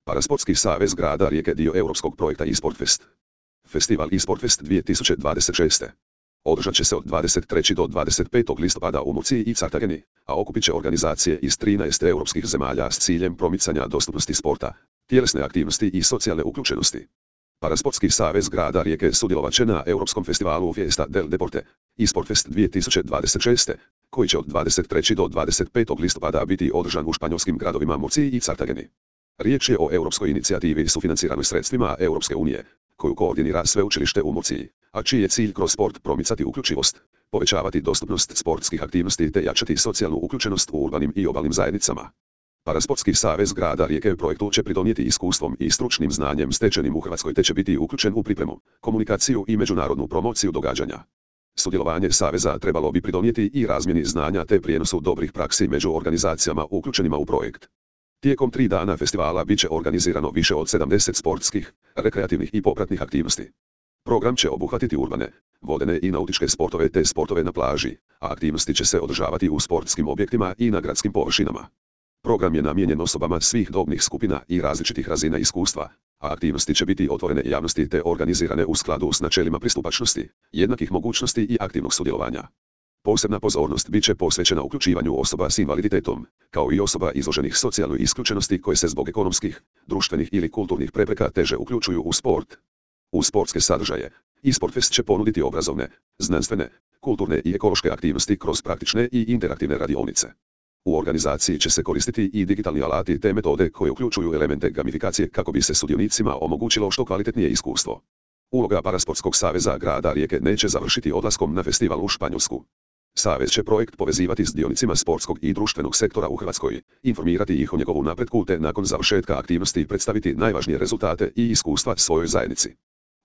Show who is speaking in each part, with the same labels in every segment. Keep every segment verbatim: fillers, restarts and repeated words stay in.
Speaker 1: Parasportski savez grada Rijeke dio europskog projekta eSportfest. Festival eSportfest dvije tisuće dvadeset šeste. Održat će se od dvadeset trećeg do dvadeset petog listopada u Murciji i Cartageni, a okupit će organizacije iz trinaest europskih zemalja s ciljem promicanja dostupnosti sporta, tjelesne aktivnosti i socijalne uključenosti. Parasportski savez grada Rijeke sudjelovat će na Europskom festivalu Fiesta del Deporte, eSportfest dvije tisuće dvadeset šeste, koji će od dvadeset trećeg do dvadeset petog listopada biti održan u španjolskim gradovima Murciji i Cartageni. Riječ je o europskoj inicijativi sufinanciranoj sredstvima Europske unije, koju koordinira sveučilište u Murciji, a čiji je cilj kroz sport promicati uključivost, povećavati dostupnost sportskih aktivnosti te jačati socijalnu uključenost u urbanim i obalnim zajednicama. Parasportski savez grada Rijeke projektu će pridonijeti iskustvom i stručnim znanjem stečenim u Hrvatskoj te će biti uključen u pripremu, komunikaciju i međunarodnu promociju događanja. Sudjelovanje saveza trebalo bi pridonijeti i razmjeni znanja te prijenosu dobrih praksi među organizacijama uključenima u projekt. Tijekom tri dana festivala bit će organizirano više od sedamdeset sportskih, rekreativnih i popratnih aktivnosti. Program će obuhvatiti urbane, vodene i nautičke sportove te sportove na plaži, a aktivnosti će se održavati u sportskim objektima i na gradskim površinama. Program je namijenjen osobama svih dobnih skupina i različitih razina iskustva, a aktivnosti će biti otvorene javnosti te organizirane u skladu s načelima pristupačnosti, jednakih mogućnosti i aktivnog sudjelovanja. Posebna pozornost bit će posvećena uključivanju osoba s invaliditetom, kao i osoba izloženih socijalnoj isključenosti koje se zbog ekonomskih, društvenih ili kulturnih prepreka teže uključuju u sport. U sportske sadržaje, eSportfest će ponuditi obrazovne, znanstvene, kulturne i ekološke aktivnosti kroz praktične i interaktivne radionice. U organizaciji će se koristiti i digitalni alati te metode koje uključuju elemente gamifikacije kako bi se sudionicima omogućilo što kvalitetnije iskustvo. Uloga Parasportskog saveza grada Rijeke neće završiti odlaskom na festival u Španjolsku. Savez će projekt povezivati s dionicima sportskog i društvenog sektora u Hrvatskoj, informirati ih o njegovu napretku te nakon završetka aktivnosti predstaviti najvažnije rezultate i iskustva svojoj zajednici.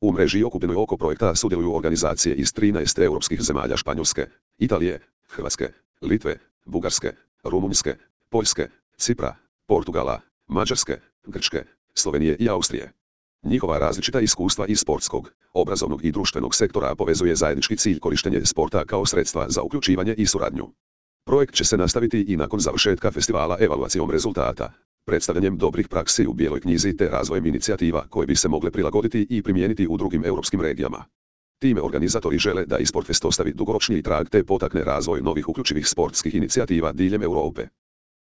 Speaker 1: U mreži okupljenoj oko projekta sudjeluju organizacije iz trinaest europskih zemalja Španjolske, Italije, Hrvatske, Litve, Bugarske, Rumunjske, Poljske, Cipra, Portugala, Mađarske, Grčke, Slovenije i Austrije. Njihova različita iskustva iz sportskog, obrazovnog i društvenog sektora povezuje zajednički cilj korištenje sporta kao sredstva za uključivanje i suradnju. Projekt će se nastaviti i nakon završetka festivala evaluacijom rezultata, predstavljanjem dobrih praksi u bijeloj knjizi te razvojem inicijativa koje bi se mogle prilagoditi i primijeniti u drugim europskim regijama. Time organizatori žele da eSportfest ostavi dugoročniji trag te potakne razvoj novih uključivih sportskih inicijativa diljem Europe.